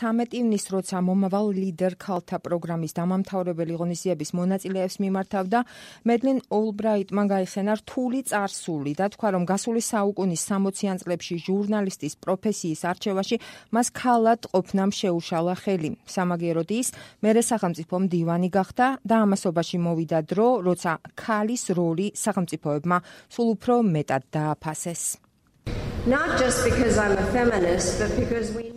13 ივნისს, როცა მომავალ ლიდერ ქალთა პროგრამის დამამთავრებელი ღონისძიების მონაწილეებს მიმართავდა, მედლინ ოლბრაიტმა გაიხსენა რთული წარსული და თქვა, რომ გასული საუკუნის 60-იან წლებში ჟურნალისტის პროფესიის არჩევაში მას ქალად ყოფნამ შეუშალა ხელი. სამაგიეროდ ის მერე სახელმწიფო მდივანი გახდა და ამასობაში მოვიდა დრო, როცა ქალის როლი სახელმწიფოებმა სულ უფრო მეტად დააფასეს.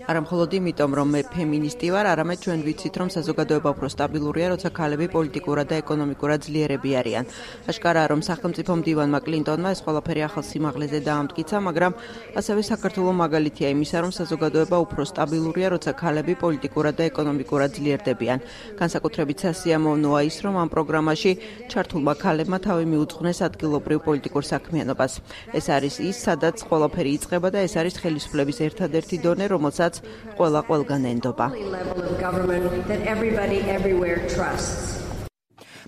არა მხოლოდ იმიტომ, რომ მე ფემინისტი ვარ, არამედ ჩვენ ვიცით, რომ საზოგადოება უფრო სტაბილურია, როცა ქალები პოლიტიკურად და ეკონომიკურად ძლიერები არიან. აშკარაა, რომ სახელმწიფო მდივანმა კლინტონმა ეს ყველაფერი ახალ სიმაღლეზე დაამტკიცა, მაგრამ ასევე საქართველოს მაგალითია იმისა, რომ საზოგადოება უფრო სტაბილურია, როცა ქალები პოლიტიკურად და ეკონომიკურად ძლიერდებიან. განსაკუთრებით სასიამოვნოა ის, რომ ამ პროგრამაში ჩართულმა ქალებმა თავი მიუძღვნეს ადგილობრივ პოლიტიკურ საქმიანობას. ეს არის ის, სადაც ყველაფერი იწყება და ეს არის ხელისუფლების ერთადერთი დონე, რომელსაც ყველა ყველგან ენდობა.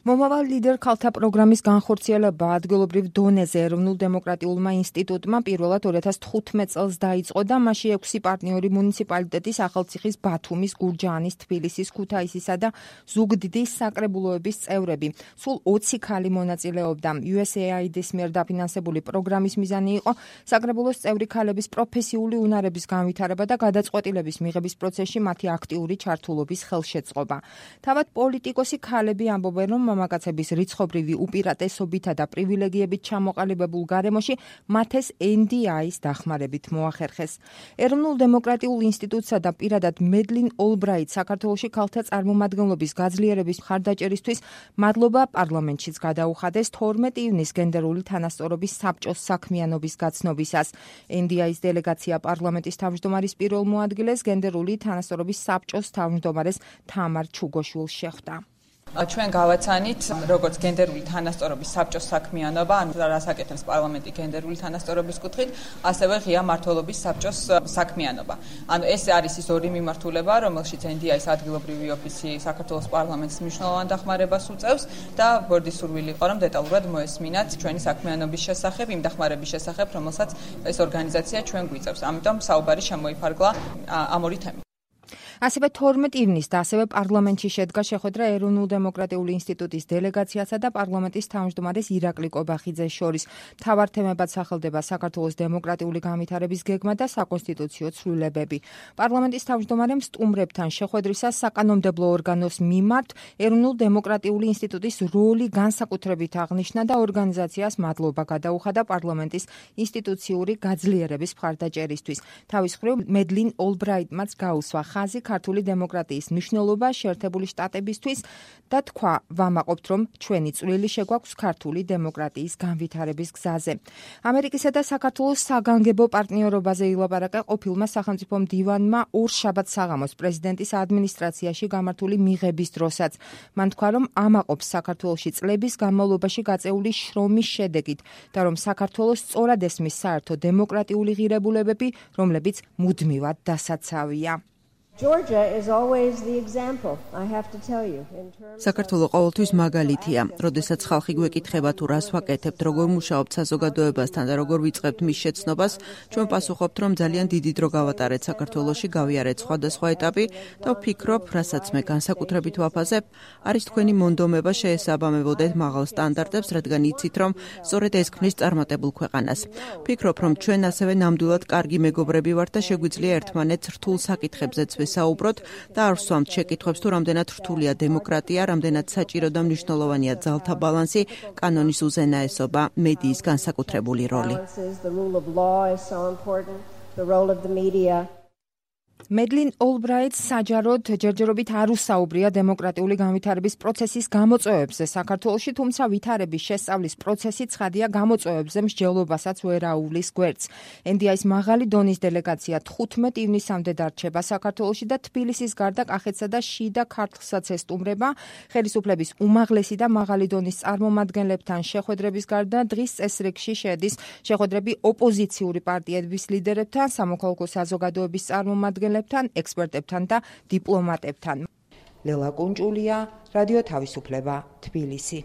მომავალ ლიდერ ქალთა პროგრამის განხორციელება ადგილობრივ დონეზე ეროვნულ დემოკრატიულმა ინსტიტუტმა პირველად 2015 წელს დაიწყო და მასში 6 პარტნიორი მუნიციპალიტეტის ახალციხის, ბათუმის, გურჯაანის, თბილისის, ქუთაისისა და ზუგდიდის საკრებულოების წევრები. სულ 20 ქალი მონაწილეობდა. USAID-ის მიერ დაფინანსებული პროგრამის მიზანი იყო საკრებულოს წევრი ქალების პროფესიული უნარების განვითარება და გადაწყვეტილების მიღების პროცესში მათი აქტიური ჩართულობის ხელშეწყობა. თავად პოლიტიკოსი ქალები ამბობენ, რომ მამაკაცების რიცხობრივი უპირატესობითა და პრივილეგიებით ჩამოყალიბებულ გარემოში მათ ეს NDI-ის დახმარებით მოახერხეს. ეროვნულ დემოკრატიულ ინსტიტუტსა და პირადად მედლინ ოლბრაიტ საქართველოში ქალთა წარმომადგენლობის გაძლიერების მხარდაჭერისთვის მადლობა პარლამენტშიც გადაუხადეს 12 ივნისს გენდერული თანასწორობის საბჭოს საქმიანობის გაცნობისას. NDI-ის დელეგაცია პარლამენტის თავმჯდომარის პირველ მოადგილეს გენდერული თანასწორობის საბჭოს თავმჯდომარეს თამარ ჩუგოშვილს შეხვდა. ჩვენ გავაცანით, როგორც გენდერული თანასწორობის საბჭოს საქმიანობა, ანუ რას აკეთებს პარლამენტი გენდერული თანასწორობის კუთხით, ასევე ღია მმართველობის საბჭოს საქმიანობა. ანუ ეს არის ის ორი მიმართულება, რომელშიც NDI-ის ადგილობრივი ოფისი საქართველოს პარლამენტს მნიშვნელოვან დახმარებას უწევს და ბორდის სურვილი იყო, რომ დეტალურად მოესმინათ ჩვენი საქმიანობის შესახებ, იმ დახმარების შესახებ, რომელსაც ეს ორგანიზაცია ჩვენ გვიწევს. ამიტომ საუბარი შემოიფარგლა ამ ორი თემით. ასევე 12 ივნისს და ასევე პარლამენტში შედგა შეხვედრა ეროვნულ დემოკრატიული ინსტიტუტის დელეგაციასა და პარლამენტის თავმჯდომარეს ირაკლი კობახიძეს შორის. მთავარ თემებად სახელდება საქართველოს დემოკრატიული განვითარების გეგმა და საკონსტიტუციო ცვლილებები. პარლამენტის თავმჯდომარემ სტუმრებთან შეხვედრისას საკანონმდებლო ორგანოს მიმართ ეროვნულ დემოკრატიული ინსტიტუტის როლი განსაკუთრებით აღნიშნა და ორგანიზაციას მადლობა გადაუხადა პარლამენტის ინსტიტუციური გაძლიერების მხარდაჭერისთვის. თავის მხრივ მედლინ ოლბრაიტმაც გაუსვა ხაზი ქართული დემოკრატიის მნიშვნელობა შეერთებული შტატებისთვის და თქვა, ვამაყობთ, რომ ჩვენი წვლილი შეგვაქვს ქართული დემოკრატიის განვითარების გზაზე. ამერიკისა და საქართველოს საგანგებო პარტნიორობაზე ილაპარაკა ყოფილმა სახელმწიფო მდივანმა ორშაბათს საღამოს პრეზიდენტის ადმინისტრაციაში გამართული მიღების დროსაც. მან თქვა, რომ ამაყობს საქართველოში წლების განმავლობაში გაწეული შრომის შედეგით და რომ საქართველოს სწორად ესმის საერთო დემოკრატიული ღირებულებები, რომლებიც მუდმივად დასაცავია. საქართველო ყოველთვის მაგალითია. როდესაც ხალხი გვეკითხება თუ რას ვაკეთებთ, როგორ მუშაობთ საზოგადოებასთან და როგორ ვიწყებთ მის შეცნობას, ჩვენ პასუხობთ, რომ ძალიან დიდი დრო გავატარეთ საქართველოში, გავიარეთ სხვადასხვა ეტაპი და ვფიქრობ, რასაც მე განსაკუთრებით ვაფასებ, არის თქვენი მონდომება შეესაბამებოდეთ მაღალ სტანდარტებს, რადგან იცით, რომ სწორედ ეს ქმნის წარმატებულ ქვეყანას. ვფიქრობ, რომ ჩვენ ასევე ნამდვილად კარგი მეგობრები ვართ და შეგვიძლია ერთმანეთს რთულ საკითხებზეც საუბრობთ და არ ვსვამთ შეკითხვებს თუ რამდენად რთულია დემოკრატია, რამდენად საჭირო და მნიშვნელოვანია ძალთა ბალანსი, კანონის უზენაესობა, მედიის განსაკუთრებული როლი. მედლინ ოლბრაიტს საჯაროდ ჯერჯერობით არ უსაუბრია დემოკრატიული განვითარების პროცესის გამოწვევებზე საქართველოში, თუმცა ვითარების შესწავლის პროცესი ცხადია გამოწვევებზე მსჯელობასაც ვერ აუვლის გვერდს. NDI-ის მაღალი დონის დელეგაცია 15 ივნისამდე დარჩება საქართველოში და თბილისის გარდა კახეთსა და შიდა ქართლსაც ესტუმრება. ხელისუფლების უმაღლესი და მაღალი დონის წარმომადგენლებთან შეხვედრების გარდა დღის წესრიგში შედის შეხვედრები ოპოზიციური პარტიების ლიდერებთან, სამოქალაქო საზოგადოების წარმომადგენლებთან, ექსპერტებთან და დიპლომატებთან. ლელა კუნჭულია, რადიო თავისუფლება, თბილისი.